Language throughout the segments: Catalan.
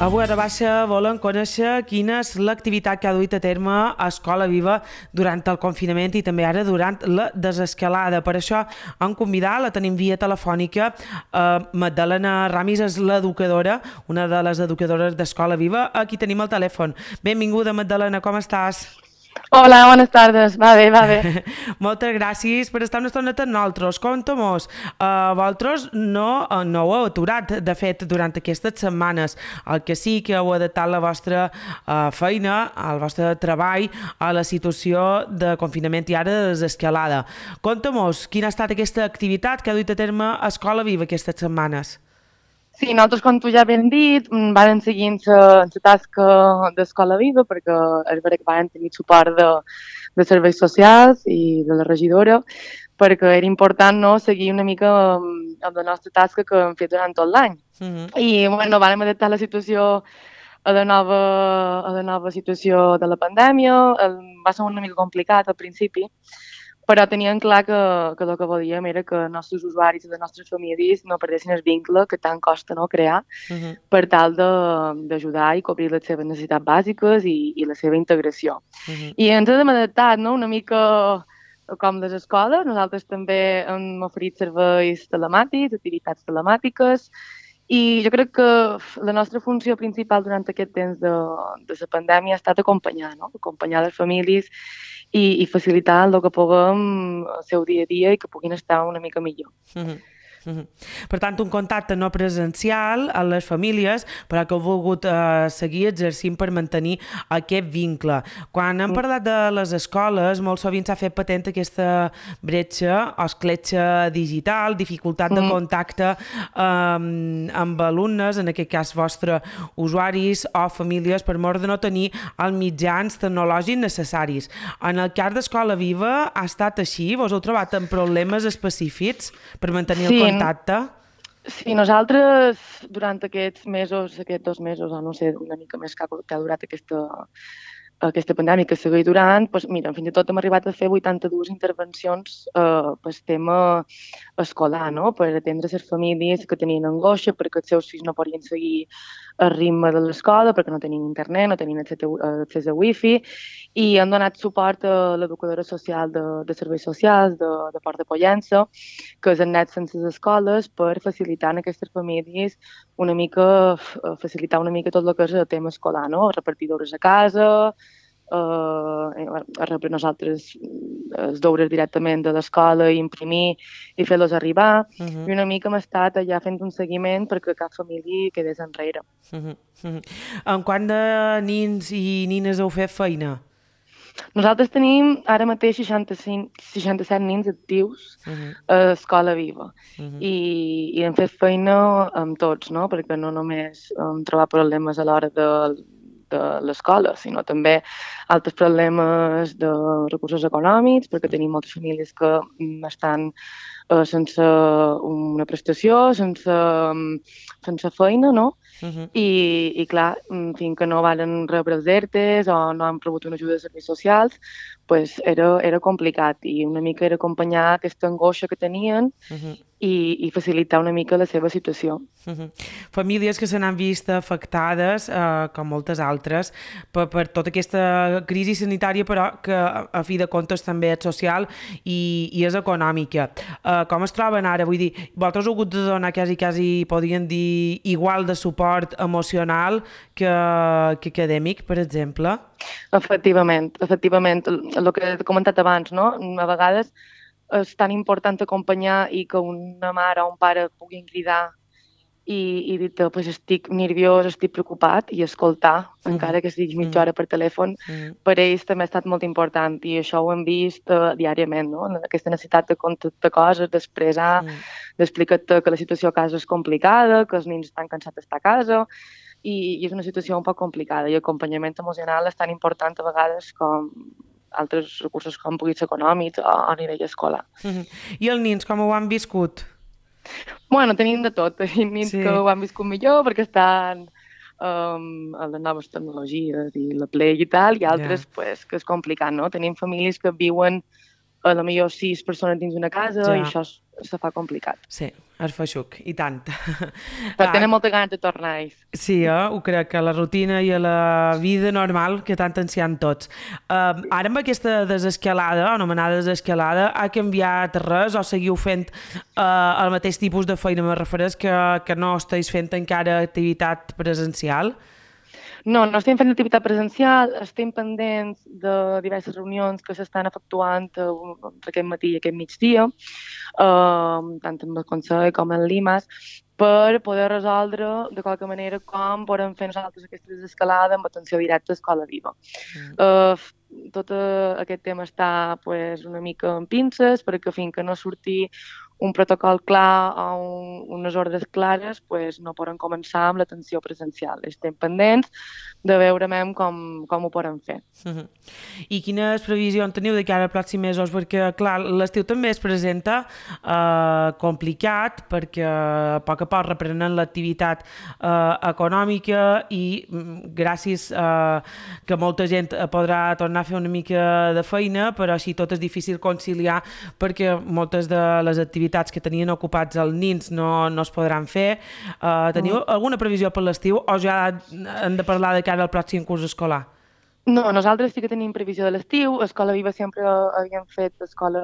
Avui a Rabassa volen conèixer quina és l'activitat que ha duit a terme a Escola Viva durant el confinament i també ara durant la desescalada. Per això han convidat, la tenim via telefònica, Magdalena Ramis és l'educadora, una de les educadores d'Escola Viva. Aquí tenim el telèfon. Benvinguda, Magdalena, com estàs? Hola, bones tardes. Va bé, va bé. Moltes gràcies per estar una estoneta amb nosaltres. Conta-mos, vosaltres no ho heu aturat, de fet, durant aquestes setmanes. El que sí que heu adaptat la vostra feina, el vostre treball a la situació de confinament i ara de desescalada. Conta-mos, quina ha estat aquesta activitat que ha duit a terme Escola Viva aquestes setmanes? Sí, nosaltres, com tu ja ben dit, varen seguint la tasca d'Escola Viva perquè és veritat que varen tenir suport de serveis socials i de la regidora perquè era important, no, seguir una mica amb la nostra tasca que hem fet durant tot l'any. I bueno, vàrem adaptar la situació a la nova situació de la pandèmia. Va ser una mica complicat al principi, però teníem clar que el que volíem era que els nostres usuaris i les nostres famílies no perdessin el vincle que tant costa, no, crear, per tal d'ajudar i cobrir les seves necessitats bàsiques i la seva integració. I ens hem adaptat, no, una mica com les escoles. Nosaltres també hem oferit serveis telemàtics, activitats telemàtiques, i jo crec que la nostra funció principal durant aquest temps de la pandèmia ha estat acompanyar, no? Acompanyar les famílies i facilitar el que puguem el seu dia a dia i que puguin estar una mica millor. Per tant, un contacte no presencial a les famílies, però que heu volgut seguir exercint per mantenir aquest vincle. Quan hem parlat de les escoles, molt sovint s'ha fet patent aquesta bretxa o escletxa digital, dificultat de contacte amb alumnes, en aquest cas vostre usuaris o famílies, per mort de no tenir els mitjans tecnològics necessaris. En el cas d'Escola Viva ha estat així? Vos heu trobat amb problemes específics per mantenir el contacte? Sí, nosaltres durant aquests mesos, aquests 2 mesos, o no sé, una mica més que ha durat aquesta pandèmia que segueix durant, doncs, mira, fins i tot hem arribat a fer 82 intervencions per tema escolar, no? Per atendre les famílies que tenien angoixa perquè els seus fills no podien seguir el ritme de l'escola, perquè no tenien internet, no tenien accés a wifi, i han donat suport a l'educadora social de serveis socials de Port de Pollença, que és anat sense les escoles per facilitar a aquestes famílies una mica, facilitar una mica tot el que és el tema escolar, no? Repartir deures a casa, a rebre nosaltres els deures directament de l'escola, imprimir i fer-los arribar, i una mica hem estat allà fent un seguiment perquè cap família quedés enrere. En quant de nins i nines heu fet feina? Nosaltres tenim ara mateix 67 nins actius a Escola Viva i hem fet feina amb tots, no? Perquè no només hem trobat problemes a l'hora de l'escola, sinó també altres problemes de recursos econòmics, perquè tenim moltes famílies que estan sense una prestació, sense feina, no? I clar, fins que no van rebre els ERTEs o no han rebut una ajuda de serveis socials, pues era complicat i una mica era acompanyar aquesta angoixa que tenien i facilitar una mica la seva situació. Famílies que se n'han vist afectades, com moltes altres, per tota aquesta crisi sanitària, però que a fi de comptes també és social i és econòmica. Com es troben ara? Vull dir, vosaltres heu hagut de donar quasi, podríem dir, igual de suport emocional que acadèmic, per exemple? Efectivament. El que he comentat abans, no? A vegades és tan important acompanyar i que una mare o un pare puguin cridar i dir-te, pues estic nerviós, estic preocupat, i escoltar, encara que sigui mitja hora per telèfon, per ells també ha estat molt important, i això ho hem vist diàriament, no? Aquesta necessitat de contactar coses, d'expressar, d'explicar-te que la situació a casa és complicada, que els nens estan cansats d'estar a casa, i és una situació un poc complicada, i acompanyament emocional és tan important a vegades com altres recursos com puguin ser econòmics o a nivell escolar. I els nens com ho han viscut? Bueno, tenim de tot. Tenim nens que ho han viscut millor perquè estan a les noves tecnologies i la Play i tal, i altres pues, que és complicat, no? Tenim famílies que viuen a la millor 6 persones dins una casa i Ja, això se fa complicat. sí, és feixuc, i tant. Però Ah, tenen molta ganes de tornar-hi. sí, ho crec, que a la rutina i a la vida normal que tant ens hi han tots. Ara amb aquesta desescalada, anomenada desescalada, ha canviat res o seguiu fent el mateix tipus de feina? Me refereix que no esteu fent encara activitat presencial? No, no estem fent activitat presencial, estem pendents de diverses reunions que s'estan efectuant entre aquest matí i aquest migdia, tant amb el Consell com amb l'IMAS, per poder resoldre de qualque manera com podem fer nosaltres aquesta desescalada amb atenció directa a Escola Viva. Tot aquest tema està pues, una mica en pinces perquè fins que no surti un protocol clar o unes ordres clares, pues, no podem començar amb l'atenció presencial. Estem pendents de veure com ho podem fer. I quines previsions teniu de cara als pròxims mesos? Perquè, clar, l'estiu també es presenta complicat perquè a poc reprenen l'activitat econòmica i gràcies que molta gent podrà tornar a fer una mica de feina, però així tot és difícil conciliar perquè moltes de les activitats que tenien ocupats els nins no es podran fer. Teniu alguna previsió per l'estiu o ja hem de parlar de cara al pròxim curs escolar? No, nosaltres sí que tenim previsió de l'estiu. Escola Viva sempre havíem fet Escola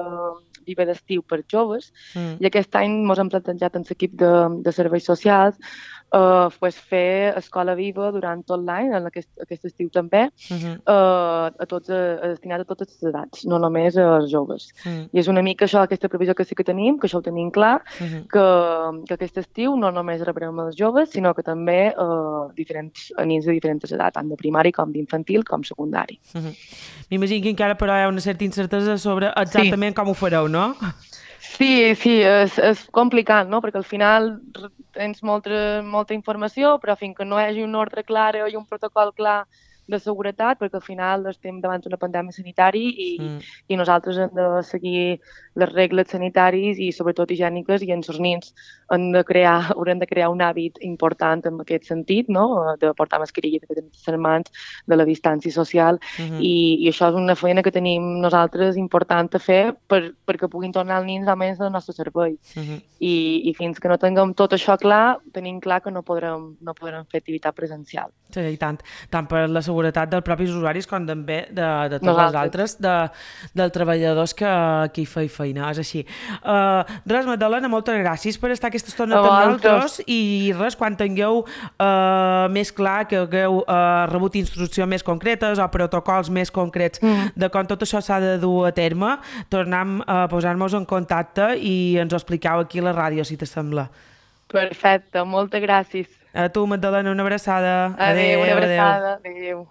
Viva d'estiu per joves i aquest any ens hem plantejat en l'equip de serveis socials pues fer Escola Viva durant tot l'any, aquest estiu també, destinat a totes les edats, no només als joves. I és una mica això, aquesta previsió que sí que tenim, que això ho tenim clar, que aquest estiu no només rebrem els joves, sinó que també nens de diferents edats, tant de primari com d'infantil com secundari. M'imagino que encara però hi ha una certa incertesa sobre exactament com ho fareu, no? Sí, és complicat, no? Perquè al final tens molta informació, però fins que no hi hagi una ordre clara i un protocol clar de seguretat, perquè al final estem davant d'una pandèmia sanitària i nosaltres hem de seguir les regles sanitàries i sobretot higièniques i els nens haurem de crear un hàbit important en aquest sentit, no? De portar mascarilla, de tenir les mans, de la distància social i això és una feina que tenim nosaltres important a fer perquè puguin tornar els nens almenys del nostre servei. I fins que no tinguem tot això clar, tenim clar que no podrem fer activitat presencial. Sí, i tant per la seguretat dels propis usuaris com també de tots els altres, dels treballadors que hi feien feina, és així. Res, Magdalena, moltes gràcies per estar aquesta estona amb nosaltres i res, quan tingueu més clar que hagueu rebut instruccions més concretes o protocols més concrets de com tot això s'ha de dur a terme, tornem a posar-nos en contacte i ens ho expliqueu aquí a la ràdio, si t'assembla. Perfecte, moltes gràcies. A tu, Magdalena, una abraçada. Adéu, una abraçada. Adéu.